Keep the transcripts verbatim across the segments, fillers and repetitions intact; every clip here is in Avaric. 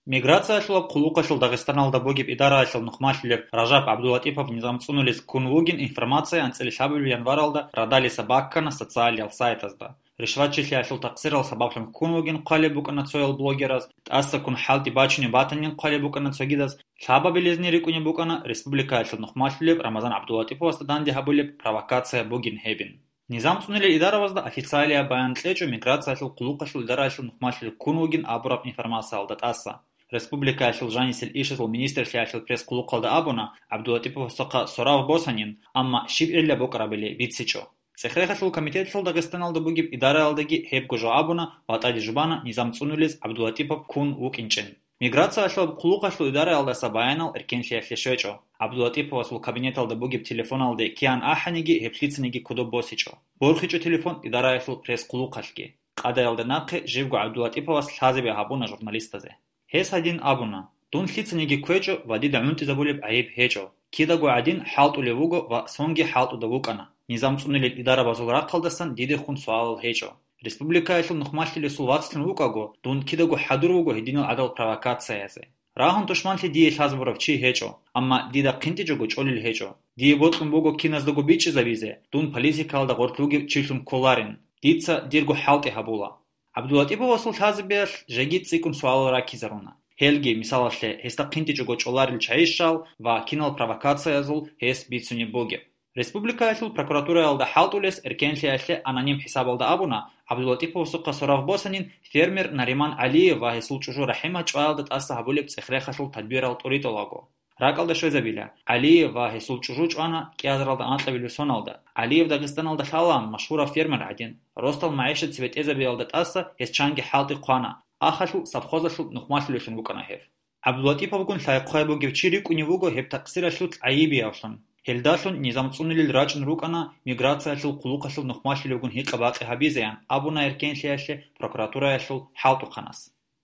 Миграциялъулаб хъулухъалъул Дагъистаналда бугеб идараялъул нухмалъулев Ражаб ГӀабдулатӀипов низам цӀунулез ккун вугин информация анцӀила лъабабилеб январалда радалиса баккана социалиял сайтазда. Ришватчилъиялъул такъсирал сабаблъун ккун вугин хъвалеб букӀана цоял блогераз, тӀасаккун хӀалтӀи бачунеб батанин хъвалеб букӀана цогидаз, лъабабилезни рикӀкӀунеб букӀана республикаялъул нухмалъулеб Рамазан ГӀабдулатӀиповасда данде гьабулеб провокация бугин гьебин. Низам цӀунулел идаравазда официалияб баян кьечӀо миграциялъул хъулухъалъул идараялъул нухмалъулев ккун вугин абураб информациялда тӀаса. Республикаялъул жанисел ишазул министрлъиялъул пресс-хъулухъалда абуна, ГӀабдулатӀиповасухъа сорав босанин, амма щиб гӀилла букӀарабали бицичӀо. ЦӀехрехалъул комитетлъул Дагъистаналда бугеб идараялдаги гьебго жо абуна ва тӀаде жубана низам цӀунулез ГӀабдулатӀипов ккун вукӀинчӀин. Миграциялъул хъулухъалъул идараялдаса баянал эркенлъиялъе щвечӀо. ГӀабдулатӀиповасул кабинеталда бугеб телефоналде киян ахӀаниги гьеб лъицаниги кодоб босичӀо. БорхичӀо телефон идараялъул пресс-хъулухъалъги. Къадаялда нахъе живго ГӀабдулатӀиповас лъазабе гьабуна журналистазе. Гьес гьадин абуна: «Дун лъицаниги кквечӀо ва дида гӀунтӀизабулеб гӀайиб гьечӀо. Кидаго гӀадин хӀалтӀулев вуго ва сонги хӀалтӀуда вукӀана. Низам цӀунулел идарабазул рахъалдасан дидехун суалал гьечӀо. Республикаялъул нухмалъулесул вацлъун вукӀаго, дун кидаго хӀадур вуго гьединал гӀадал провокациязе. Рагьун тушманлъи дие лъазабурав чи гьечӀо, амма дида хъинтӀичӀого чӀолел гьечӀо. Дие бокьун буго киназдаго бичӀчӀизабизе, дун политикалда гъорлъ вугев чилъун кколарин. Дица дирго хӀалтӀи гьабула». ГӀабдулатӀиповасул лъазабиялъ жеги цӀикӀкӀун суалал раккизаруна. Гьелги, мисалалъе, гьесда хъинтӀичӀого чӀоларел чайищал ва кинал провокациязул гьес бицунеб бугеб. Республикаялъул прокуратураялда хӀалтӀулес эркенлъиялъе аноним хӀисабалда абуна, ГӀабдулатӀиповасухъа сорав босанин фермер Нариман ГӀалиев ва гьесул чӀужу РахӀима чӀваялда тӀаса гьабулеб цӀехрехалъул тадбирал тӀуритӀулаго. Ракъалда щвезабила, ГӀалиев ва гьесул чӀужу чӀвана кӀиазаралда анкьабилеб соналда. ГӀалиев Дагъистаналда лъалаан машгьурав фермер гӀадин. Росдал магӀишат цебетӀезабиялда тӀаса гьес чанги хӀалтӀи хъвана, ахалъул совхозалъул нухмалъулевлъун вукӀана гьев. ГӀабдулатӀиповгун лъай-хъвай бугев чи рикӀкӀунев вуго гьеб такъсиралъул гӀайибиявлъун. Гьелдалъун низам цӀунулел рачӀун рукӀана миграциялъул хъулухъалъул нухмалъулевгун гьикъа-бакъи гьабизеян абуна эркенлъиялъе прокуратураялъул хӀалтӀухъанас.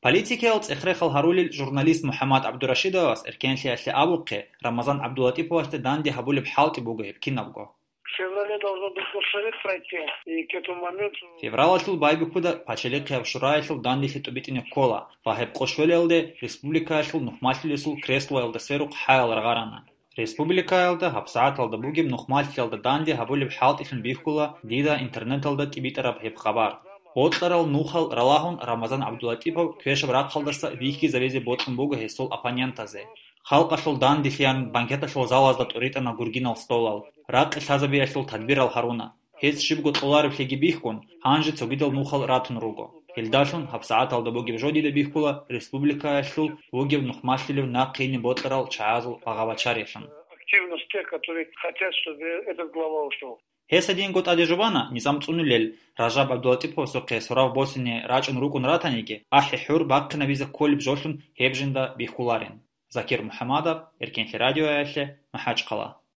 Политикиял цӀехрехал гьарулел журналист МухӀаммад ГӀабдурашидовас эркенлъиялъе абухъе, Рамазан ГӀабдулатӀиповасде данде гьабулеб хӀалтӀи буго гьеб кинабго. В феврале должен был Госсовет пройти, и к этому моменту... Февралалъул байбихьуда пачалихъияб шураялъул данделъи тӀубитӀине ккола ва гьеб къошвелалде республикаялъул нухмалъулесул креслоялда сверухъ хӀаял рагъарана. Республикаялда гьабсагӀаталда бугеб нухмалъиялда данде гьабулеб хӀалтӀилъун бихьула дида интернеталда тӀибитӀараб гьеб хабар. Бокьарал нухал ралагьун Рамазан ГӀабдулатӀипов квешаб рахъалдаса вихьизабизе бокьун буго гьесул оппонентазе. Халкъалъул данделъеян банкеталъул залазда тӀуритӀана гургинал столал, ракъи лъазабиялъул тадбирал гьаруна. Гьес щибго кьоларевлъиги бихьун, гьанже цогидал нухал ратун руго. Гьелдалъун гьабсагӀаталда бугеб жо дида бихьула республикаялъул вугев нухмалъулев нахъ гьине бокьарал чагӀазул багъа-бачариялъун. Активность тех, которые хотят, чтобы этот глава ушёл. Гьес гьединго тӀаде жубана низам цӀунулел Ражаб ГӀабдулатӀиповасухъе сорав босине рачӀун рукӀун ратаниги, ахӀи-хӀур бахъинабизе кколеб жолъун гьеб жинда бихьуларин. Закир МухӀамадов, Эркенлъи радиоялъе, МахӀачхъала.